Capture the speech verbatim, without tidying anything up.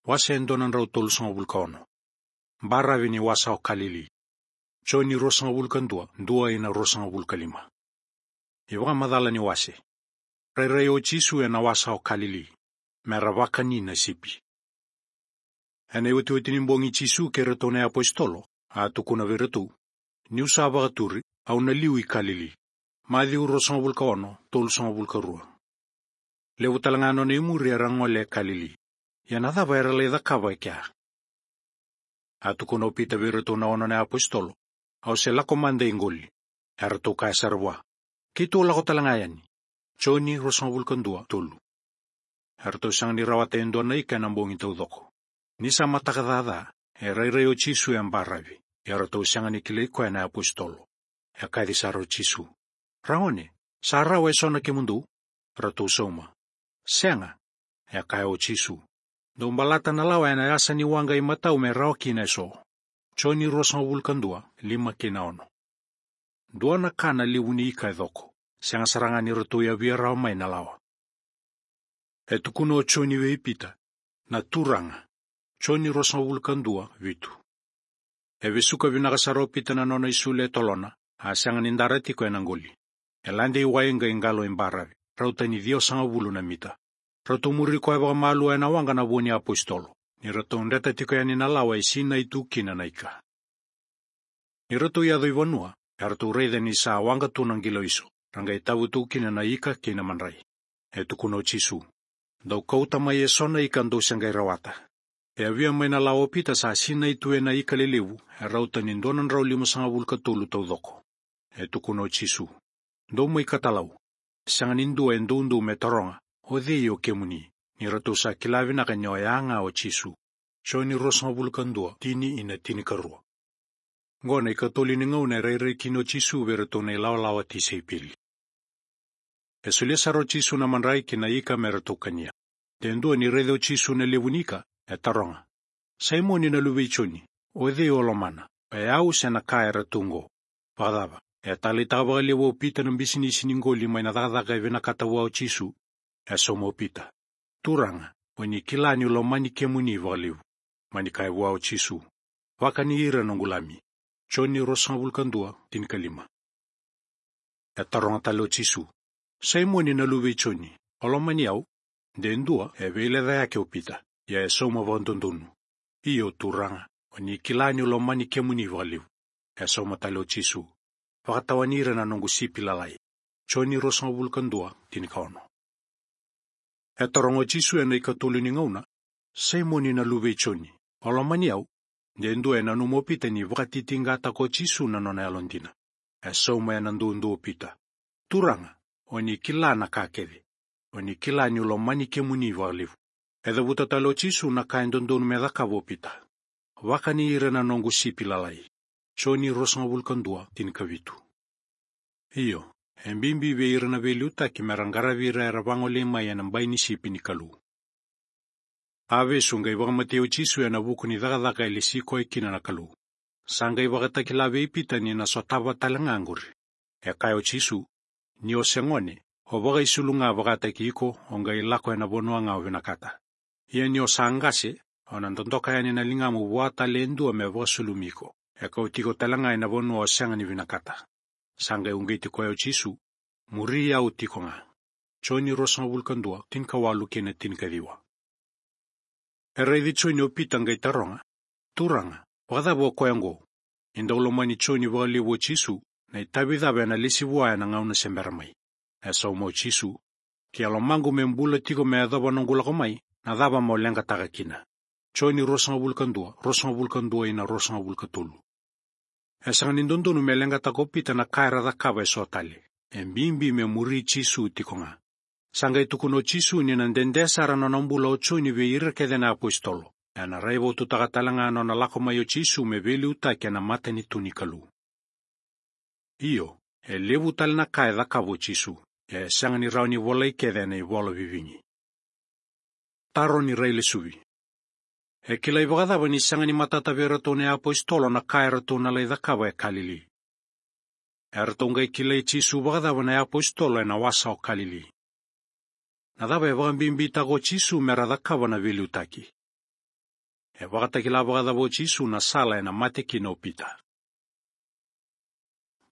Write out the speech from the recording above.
Wase e dua na drau tolusagavulu ka ono. Baravi ni wasa o Kalili. Joni ruasagavulu ka dua, dua ina ruasagavulu ka lima. iVakamacala ni wase. Rairai o Jisu ena wasa o Kalili, mera vakani na sipi. Ena iotioti ni bogi Jisu kei iratou na iapositolo, a tukuna vei iratou: Niu sa vakaturi, au na liu i Kalili. Maciu ruasagavulu ka ono, tolusagavulu ka rua. Levu tale ga na nona imuri era gole e Kalili. Ia na cava era lai cakava e kea? A tukuna o Pita vei iratou na ono na iapositolo: Au se lako mada i qoli. Eratou kaya sara vua: Keitou lako tale ga yani. Joni ruasagavulu ka dua, tolu. Eratou sega ni rawata e dua na ika ena bogi taucoko. Ni sa mataka caca, e rairai o Jisu e baravi. Eratou sega ni kilai koya na iapositolo. E kaci sara o Jisu: Ragone, sa rawa eso na kemudou? Ratou sauma: Sega. E kaya o Jisu: Dou balata na lawa ena yasa ni waqa imatau me rawa kina eso. Joni ruasagavulu ka dua, lima kei na ono. Dua na ka na levu ni ika e coko, sega sara ga ni ratou yavia rawa mai na lawa. E tukuna o Joni vei Pita: Na Turaga. Joni ruasagavulu ka dua, vitu. E vesuka vinaka sara o Pita na nona isulu e tolona, a sega ni dara tiko ena qoli. E lade i wai qai qalo i baravi, rauta ni ciwasagavulu na mita. Ratou muri koya vakamalua ena waqa na vo ni apositolo, ni ratou dreta tiko yani na lawa e sinai tu kina na ika. Ni ratou yaco i vanua, eratou raica ni sa waqa tu na qilaiso, ra qai tavu tu kina na ika kei na madrai. E tukuna o Jisu: Dou kauta mai eso na ika dou se qai rawata. E yavia mai na lawa o Pita sa sinai tu ena ika lelevu, e rauta ni dua na drau limasagavulu ka tolu taucoko. E tukuna o Jisu: Dou mai katalau. Sega ni dua e doudou me taroga: O cei o kemuni? Ni ratou sa kila vinaka ni oya ga o Jisu. Joni ruasagavulu ka dua, tini ina tinikarua. Qo na ikatolu ni gauna e rairai kina o Jisu vei iratou na ilawalawa tisaipeli. E solia sara o Jisu na madrai kei na ika me ratou kania. De dua ni raica o Jisu na levu ni ika, e taroga: Saimoni na luve i Joni, o cei o lomana, o yau se na ka era tu qo? Vakacava, e taleitaka vakalevu o Pita na bisinisi ni qoli mai na cakacaka e vinakata vua o Jisu? E sauma o Pita: Turaga, o ni kila niu lomani kemuni vakalevu. Mani kaya vua o Jisu: Vakani ira noqu lami. Joni ruasagavulu ka dua, tinikalima. E taroga tale o Jisu: Saimoni na luve i Joni, o lomani au? De dua e veilecayaki o Pita, ia e sauma vakadodonu: Io, Turaga, o ni kila niu lomani kemuni vakalevu. E sauma tale o Jisu: Vakatawani ira na noqu sipi lalai. Joni ruasagavulu ka dua, tinikaono. E taroga o Jisu ena ikatolu ni gauna: Saimoni na luve i Joni, o lomani au? De dua e nanuma o Pita ni vakatitiqataka o Jisu na nona yalodina. E sauma ena duadua o Pita: Turaga, o ni kila na ka kece. O ni kila niu lomani kemuni vakalevu. E cavuta tale o Jisu na ka e dodonu me cakava o Pita: Vakani ira na noqu sipi lalai. Joni ruasagavulu ka dua, tinikavitu. Io, e bibi vei ira na veiliutaki mera qaravi ira era vagolei mai ena bai ni sipi ni Kalou. A vesu qai vakamatei o Jisu ena vuku ni cakacaka e lesi koya kina na Kalou. Sa qai vakatakila vei Pita ni na sotava tale ga qori. E kaya o Jisu: Ni o se gone, o vakaisulu ga vakataki iko, o qai lako ena vanua ga o vinakata. Ia ni o sa qase, o na dodoka yani na ligamu vua tale e dua me vakasulumi iko. E kauti iko tale ga ena vanua o sega ni vinakata. Sa qai uqeti koya o Jisu: Muri au tiko ga. Joni ruasagavulu ka dua, tinikawalu kei na tinikaciwa. E raici Joni o Pita qai taroga: Turaga, vakacava o koya oqo? Ni dau lomani Joni vakalevu o Jisu, na itavi cava ena lesi vua ena gauna se bera mai? E sauma o Jisu: Ke a lomaqu me bula tiko me yacova noqu lako mai, na cava mo leqataka kina? Joni ruasagavulu ka dua, ruasagavulu ka dua ina ruasagavulu ka tolu. E sega ni dodonu me leqataka o Pita na ka era cakava eso tale. E bibi me muri Jisu tiko ga. Sa qai tukuna o Jisu ni na dede sara na nona bula o Joni vei ira kece na apositolo. Ena raivotutaka tale ga na nona lako mai o Jisu me veiliutaki ena matanitu ni Kalou. Io, e levu tale na ka e cakava o Jisu, e sega ni rawa ni volai kece ena ivola vivigi. Taro ni railesuvi. E kilai vakacava ni sega ni matata vei iratou na iapositolo na ka eratou na lai cakava e Kalili? Eratou qai kilai Jisu vakacava na iapositolo ena wasa o Kalili? Na cava e vakabibitaka o Jisu mera cakava na veiliutaki? E vakatakila vakacava o Jisu na sala ena mate kina o Pita?